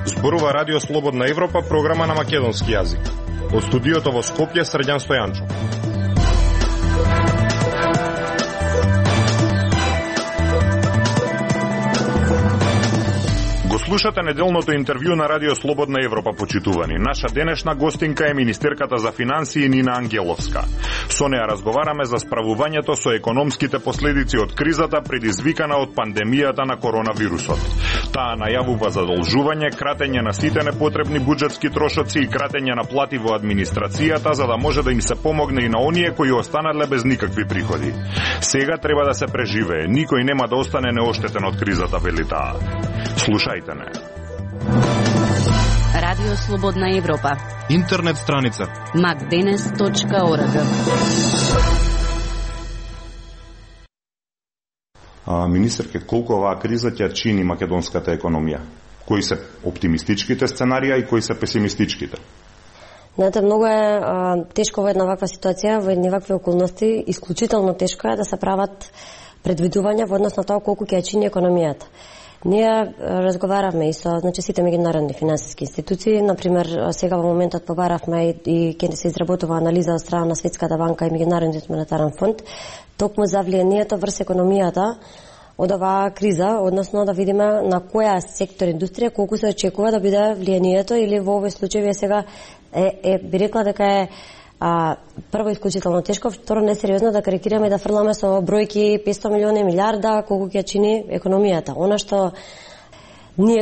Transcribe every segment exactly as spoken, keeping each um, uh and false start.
Зборува Радио Слободна Европа, програма на македонски јазик. Од студиото во Скопје, Срđan Стојанчо. Слушате неделното интервју на Радио Слободна Европа, почитувани. Наша денешна гостинка е министерката за финансии Нина Ангеловска. Со неа разговараме за справувањето со економските последици од кризата предизвикана од пандемијата на коронавирусот. Таа најавува задолжување, кратење на сите непотребни буџетски трошоци и кратење на плати во администрацијата, за да може да им се помогне и на оние кои останале без никакви приходи. Сега треба да се преживее. Никој нема да остане неоштетен од кризата, вели таа. Слушајте не. Радио Слободна Европа. Интернет страница макденес точка орг. А, министерке, колку оваа криза ќе чини македонската економија? Кои се оптимистичките сценарија и кои се песимистичките? Знаете, многу е а, тешко во една ваква ситуација, во едни вакви околности, исклучително тешко е да се прават предвидувања во однос на тоа колку ќе чини економијата. Ние разговаравме и со значи сите меѓународни финансиски институции, например сега во моментот побаравме и ќе се изработува анализа од страна на Светската банка и Меѓународниот монетарен фонд токму за влијанието врз економијата од оваа криза, односно да видиме на која сектор индустрија колку се очекува да биде влијанието, или во овој случај вие сега е, е би рекла дека е А, прво исклучително тешко, второ несериозно да карикираме и да фрламе со бројки петстотини милиони, милиарда, колку ќе чини економијата. Она што ние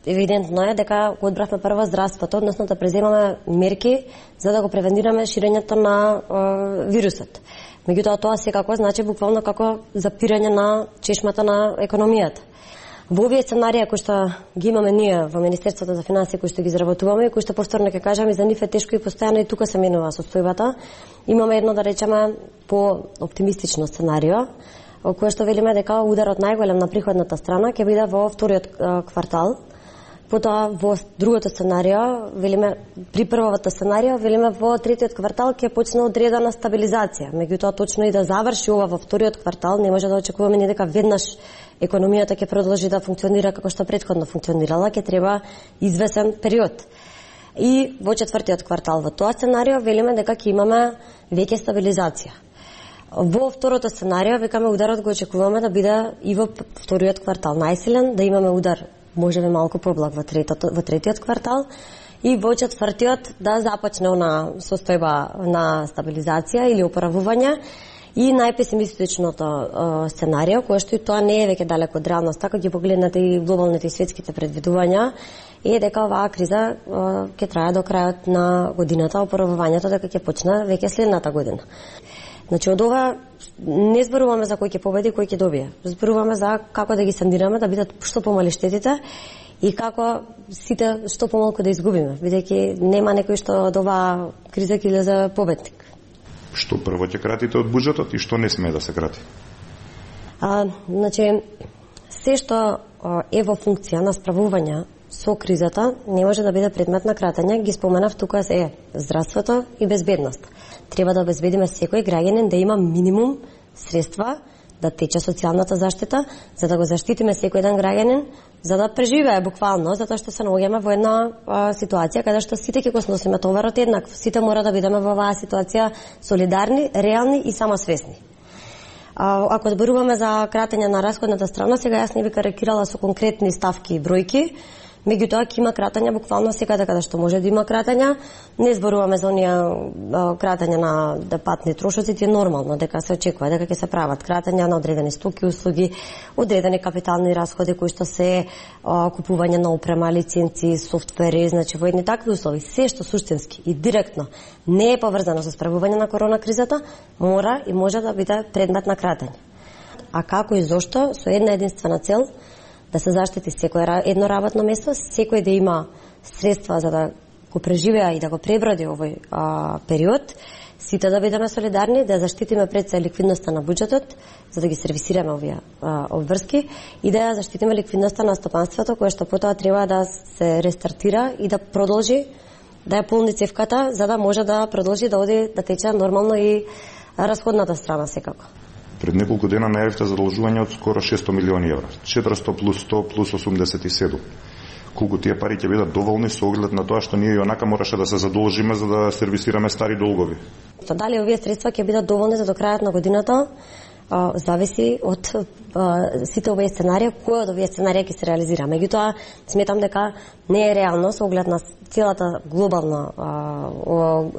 евидентно е дека го одбравме прво здравството, односно да преземаме мерки за да го превенираме ширењето на е, вирусот. Меѓутоа тоа секако значи буквално како запирање на чешмата на економијата. Во овие сценарија кои што ги имаме ние во Министерството за финансии, кои што ги изработуваме и кои што повторно ќе кажам и за нив е тешко и постојано и тука се менува состојбата, имаме едно, да речеме, по оптимистично сценарио, кое што велиме дека ударот најголем на приходната страна ќе биде во вториот квартал. Потоа во другото сценарио, велиме при првото сценарио, велиме во третиот квартал ќе почне одредена стабилизација. Меѓутоа точно и да заврши ова во вториот квартал, не може да очекуваме ни дека веднаш економијата ќе продолжи да функционира како што претходно функционирала, ќе треба извесен период. И во четвртиот квартал во тоа сценарио велиме дека ќе имаме веќе стабилизација. Во второто сценарио викаме ударот го очекуваме да биде и во вториот квартал најсилен, да имаме удар можеме малку поблаг во третото во третиот квартал и во четвртиот да започне она состојба на стабилизација или оправување. И најпесимистичното сценарио, кое што и тоа не е веќе далеко од реалноста, ако ги погледнете и глобалните и светските предвидувања, е дека оваа криза ќе трае до крајот на годината, оправувањето дека ќе почне веќе следната година. Значи, од ова не зборуваме за кој ќе победи, кој ќе добие. Зборуваме за како да ги сандираме, да бидат што помали штетите и како сите што помалку да изгубиме, бидејќи нема некој што од оваа криза ќе излезе победник. Што прво ќе кратите од буџетот и што не смее да се крати? А, значи, се што е во функција на справување со кризата не може да биде предмет на кратење. Ги споменав тука е здравството и безбедност. Треба да обезбедиме секој граѓанин да има минимум средства да тече социјалната заштита, за да го заштитиме секој еден граѓанин, за да преживее буквално, затоа што се наоѓаме во една а, ситуација каде што сите ќе го сносиме товарот еднакво. Сите мора да бидеме во оваа ситуација солидарни, реални и самосвесни. А, ако зборуваме за кратење на расходната страна, сега јас не би карикирала со конкретни ставки и бројки, меѓутоа ќе има кратења буквално секаде каде што може да има кратења. Не зборуваме за оние кратења на да патни трошоци, е нормално дека се очекува дека ќе се прават кратења на одредени стоки, услуги, одредени капитални расходи кои што се а, купување на опрема, лиценци, софтвери, значи во едни такви услови, се што суштински и директно не е поврзано со справување на корона кризата, мора и може да биде предмет на кратење. А како и зошто? Со една единствена цел, да се заштити секој едно работно место, секој да има средства за да го преживеа и да го преброди овој а, период, сите да бидеме солидарни, да заштитиме пред се ликвидноста на буџетот, за да ги сервисираме овие а, обврски и да заштитиме ликвидноста на стопанството, кое што потоа треба да се рестартира и да продолжи да ја полни цевката, за да може да продолжи да оди да тече нормално и расходната страна секако. Пред неколку дена најавивте задолжување од скоро шесто милиони евра, четиристо плюс сто плюс осумдесет и седум. Колку тие пари ќе бидат доволни со оглед на тоа што ние и онака мораше да се задолжиме за да сервисираме стари долгови? Дали овие средства ќе бидат доволни за до крајот на годината, а, зависи од а, сите овие сценарии, кој од овие сценарии ќе се реализира. Меѓутоа, сметам дека не е реално со оглед на целата глобална а,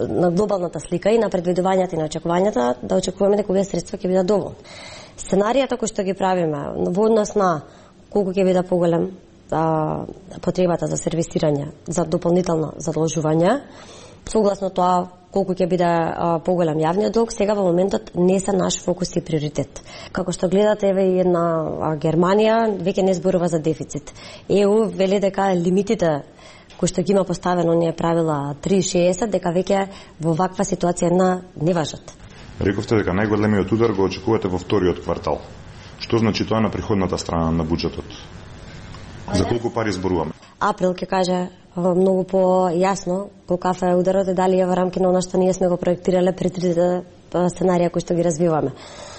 на глобалната слика и на предвидувањата и на очекувањата да очекуваме дека овие средства ќе бидат доволни. Сценаријата кои што ги правиме во однос на колку ќе биде поголем а, потребата за сервисирање за дополнително задолжување, согласно тоа колку ќе биде а, поголем јавниот долг, сега во моментот не се наш фокус и приоритет. Како што гледате, еве и една а, Германија веќе не зборува за дефицит. ЕУ вели дека лимитите кои што ги има поставено оние правила три шеесет, дека веќе во ваква ситуација на не важат. Рековте дека најголемиот удар го очекувате во вториот квартал. Што значи тоа на приходната страна на буџетот? За колку пари зборуваме? Април ќе каже многу по-јасно колкав е ударот и дали е во рамки на она што ние сме го проектирале при трите сценарија кои што ги развиваме.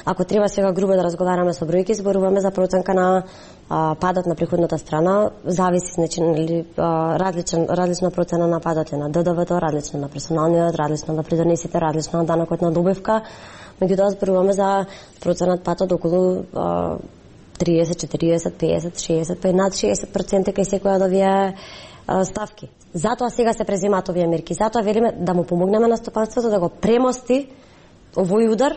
Ако треба сега грубо да разговараме со бројки, зборуваме за проценка на а, падот на приходната страна, зависи, значи, нели, различен, различна процена на падот на Д Д В-то, различна на персоналниот, различна на придонесите, различна на данокот на добивка. Меѓутоа зборуваме за проценат падот околу а, триесет, четириесет, песет, шеесет, па и над шеесет проценти кај секоја од овие ставки. Затоа сега се преземаат овие мерки. Затоа велиме да му помогнеме на стопанството да го премости овој удар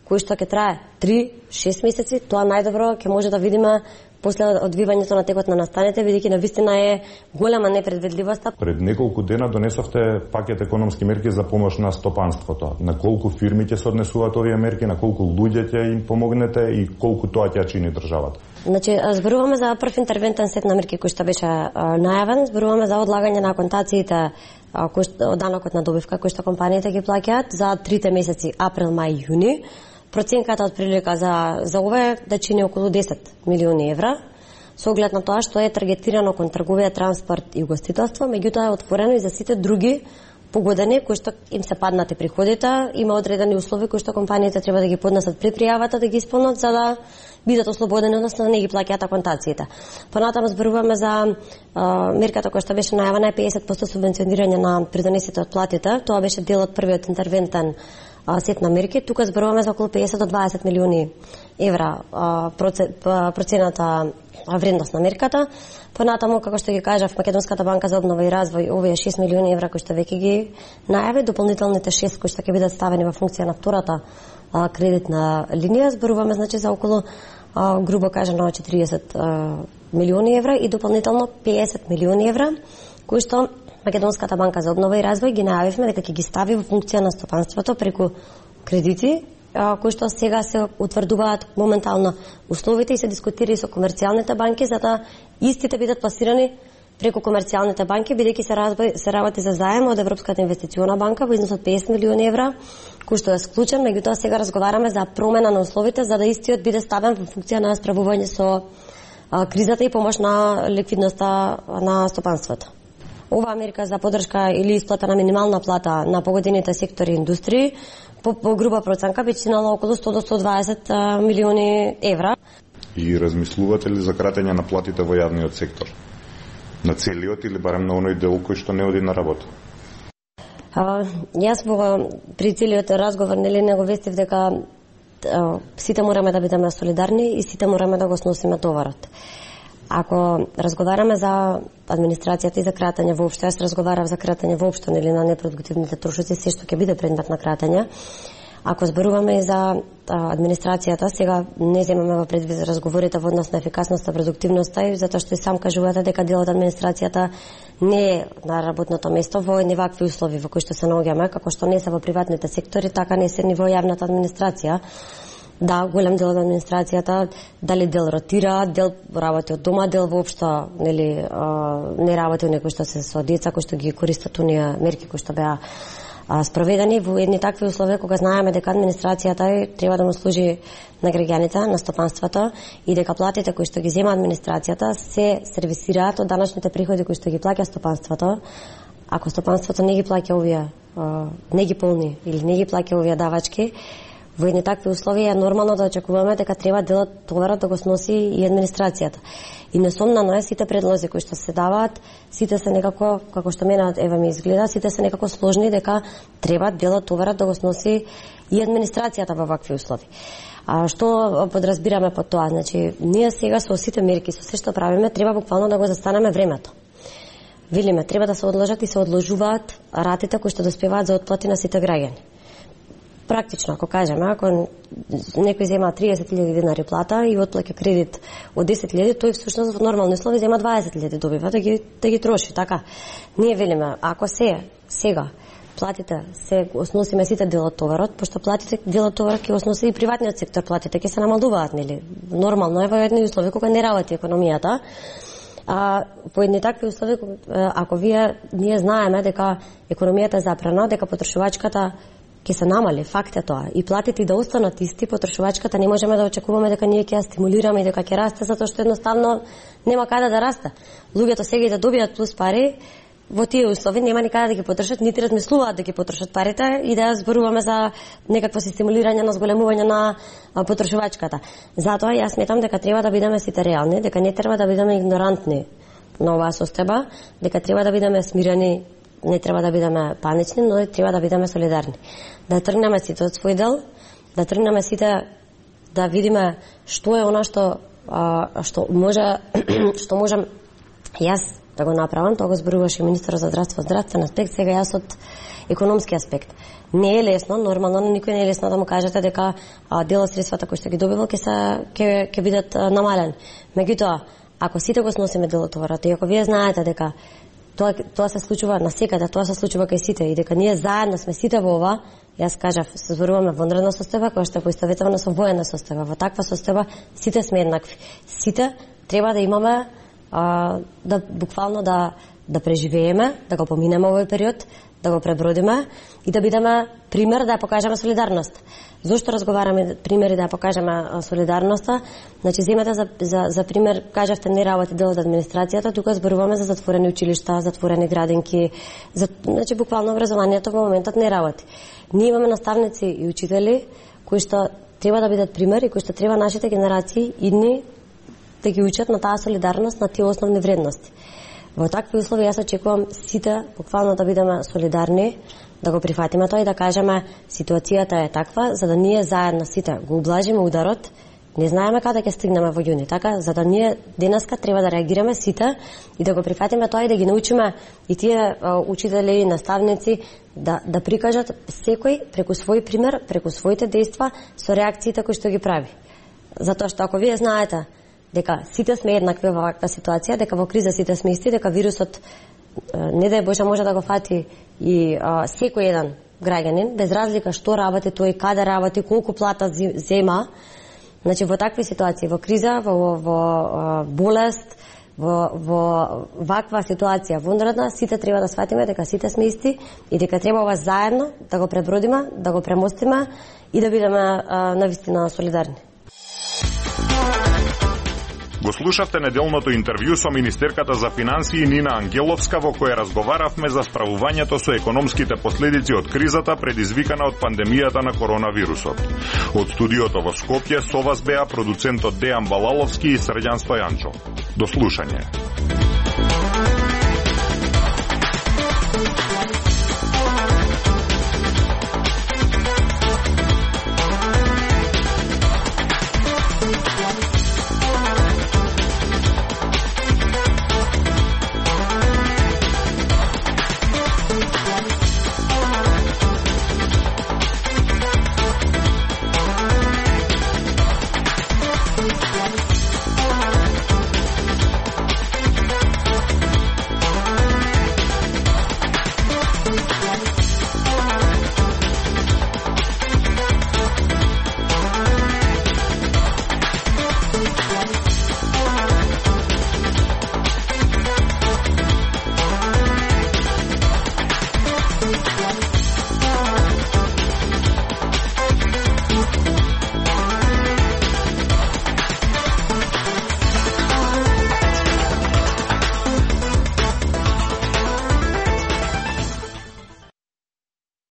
кој што ќе трае три шест месеци. Тоа најдобро ќе може да видиме после одвивањето на текот на настаните, бидејќи навистина е голема непредвидливост. Пред неколку дена донесовте пакет економски мерки за помош на стопанството. На колку фирми ќе се однесуваат овие мерки, на колку луѓе ќе им помогнете и колку тоа ќе чини државата? Значи, зборуваме за прв интервентен сет на мерки кој што беше а, најавен, зборуваме за одлагање на контациите кој што, данокот на добивка кој што компаниите ги плаќаат за трите месеци април, мај, јуни. Проценката од прилика за, за ова е да чини околу десет милиони евра, со оглед на тоа што е таргетирано кон трговија, транспорт и угостителство, меѓутоа е отворено и за сите други погодени кои што им се паднати приходите, има одредени услови кои што компаниите треба да ги поднесат при пријавата да ги исполнат за да бидат ослободени, односно да не ги плаќаат аконтациите. Понатаму зборуваме за а, мерката која што беше најавена е песет проценти субвенционирање на придонесите од платите. Тоа беше дел од првиот интервентен а, сет на мерки. Тука зборуваме за околу песет до дваесет милиони евра а, процената вредност на мерката. Понатаму, како што ги кажав, Македонската банка за обнова и развој, овие шест милиони евра кои што веќе ги најави, дополнителните шест кои што ќе бидат ставени во функција на втората а, кредитна линија, зборуваме значи за околу а, грубо кажано четириесет а, милиони евра и дополнително песет милиони евра кои што Македонската банка за обнова и развој ги најавивме дека ќе ги стави во функција на стопанството преку кредити кои што сега се утврдуваат моментално условите и се дискутира и со комерцијалните банки за да истите бидат пласирани преку комерцијалните банки, бидејќи се, разбај, се работи за заем од Европската инвестициона банка во износ од песет милиони евра, кој што е склучен, меѓутоа сега разговараме за промена на условите за да истиот биде ставен во функција на справување со а, кризата и помош на ликвидноста на стопанството. Оваа мерка за поддршка или исплата на минимална плата на погодените сектори и индустрии по, по груба проценка би чинала околу сто до сто дваесет милиони евра. И размислувате ли за кратење на платите во јавниот сектор? На целиот или барем на оној дел кој што не оди на работа? А, јас во при целиот разговор нели не го вестив дека а, сите мораме да бидеме солидарни и сите мораме да го сносиме товарот. Ако разговараме за администрацијата и за кратење воопшто, јас разговарав за кратење воопшто нели на непродуктивните трошоци, се што ќе биде предмет на кратење. Ако зборуваме и за а, администрацијата, сега не земаме во предвид разговорите во однос на ефикасноста, продуктивноста и затоа што и сам кажувате дека дел од администрацијата не е на работното место во едни вакви услови во кои што се наоѓаме, како што не се во приватните сектори, така не се ни во јавната администрација. Да, голем дел од администрацијата, дали дел ротира, дел работи од дома, дел воопшто нели не работи некои што се со деца, кои што ги користат оние мерки кои што беа спроведени во едни такви услови кога знаеме дека администрацијата треба да му служи на граѓаните, на стопанството и дека платите кои што ги зема администрацијата се сервисираат од даночните приходи кои што ги плаќа стопанството, ако стопанството не ги плаќа овие, не ги полни или не ги плаќа овие давачки, во едни такви услови е нормално да очекуваме дека треба делот товарот да го сноси и администрацијата. И несомнено е сите предлози кои што се даваат, сите се некако, како што мене ева ми изгледа, сите се некако сложни дека треба делот товарот да го сноси и администрацијата во вакви услови. А што подразбираме под тоа? Значи, ние сега со сите мерки, со се што правиме, треба буквално да го застанеме времето. Велиме, треба да се одложат и се одложуваат ратите кои што доспеваат за отплати на сите граѓани. Практично, ако кажеме, ако некој зема триесет илјади денари плата и отплаќа кредит од десет илјади, тој всушност во нормални услови зема дваесет илјади добива да ги да ги троши, така. Ние велиме, ако се сега платите се осносиме сите дел од товарот, пошто платите дел од товарот ќе осноси и приватниот сектор, платите ќе се намалуваат, нели? Нормално е во едни услови кога не работи економијата. А по едни такви услови, ако вие ние знаеме дека економијата е запрена, дека потрошувачката ќе се намали, факт е тоа. И платите и да останат исти, потрошувачката не можеме да очекуваме дека ние ќе ја стимулираме и дека ќе расте, затоа што едноставно нема каде да расте. Луѓето сега и да добијат плюс пари, во тие услови нема никаде да ги потрошат, нити размислуваат да ги потрошат парите и да зборуваме за некакво си стимулирање на зголемување на потрошувачката. Затоа јас сметам дека треба да бидеме сите реални, дека не треба да бидеме игнорантни на оваа состојба, дека треба да бидеме смирени, не треба да бидеме панични, но треба да бидеме солидарни. Да тргнеме сите од свој дел, да тргнеме сите да видиме што е она што а, што може што можам јас да го направам. Тоа го зборуваше министерот за здравство, здравствен аспект, сега јас од економски аспект. Не е лесно, нормално на никој не е лесно да му кажете дека а, дел од средствата кои што ги добивал ќе се ќе ќе бидат а, намалени. Меѓутоа, ако сите го сносиме делот товарот и ако вие знаете дека Тоа, тоа се случува на секаде, тоа се случува кај сите и дека ние заедно сме сите во ова, јас кажав, се зборуваме во внредна состојба, која што е поистоветувана со воена состојба. Во таква состојба сите сме еднакви. Сите треба да имаме, а, да буквално да, да преживееме, да го поминеме овој период, да го пребродиме и да бидеме пример да ја покажеме солидарност. Зошто разговараме примери да ја покажеме солидарноста? Значи, земете за, за, за пример, кажавте не работи дел од администрацијата, тука зборуваме за затворени училишта, затворени градинки, за, значи буквално образованието во моментот не работи. Ние имаме наставници и учители кои што треба да бидат пример и кои што треба нашите генерации идни да ги учат на таа солидарност, на тие основни вредности. Во такви услови јас очекувам сите буквално да бидеме солидарни, да го прифатиме тоа и да кажеме ситуацијата е таква, за да ние заедно сите го ублажиме ударот. Не знаеме каде ќе стигнеме во јуни, така за да ние денеска треба да реагираме сите и да го прифатиме тоа и да ги научиме и тие учители и наставници да да прикажат секој преку свој пример, преку своите дејства со реакциите кои што ги прави. Затоа што ако вие знаете дека сите сме еднакви во ваква ситуација, дека во криза сите сме исти, дека вирусот не дај Боже може да го фати и а, секој еден граѓанин, без разлика што работи тој, каде работи, колку плата зема. Значи во такви ситуации, во криза, во, во, во болест, во, во ваква ситуација вонредна, сите треба да сватиме дека сите сме исти и дека треба ова заедно да го пребродиме, да го премостиме и да бидеме а, навистина солидарни. Го слушавте неделното интервју со министерката за финансии Нина Ангеловска, во кое разговаравме за справувањето со економските последици од кризата предизвикана од пандемијата на коронавирусот. Од студиото во Скопје со вас беа продуцентот Дејан Балаловски и Срđan Стојанчо. До слушање.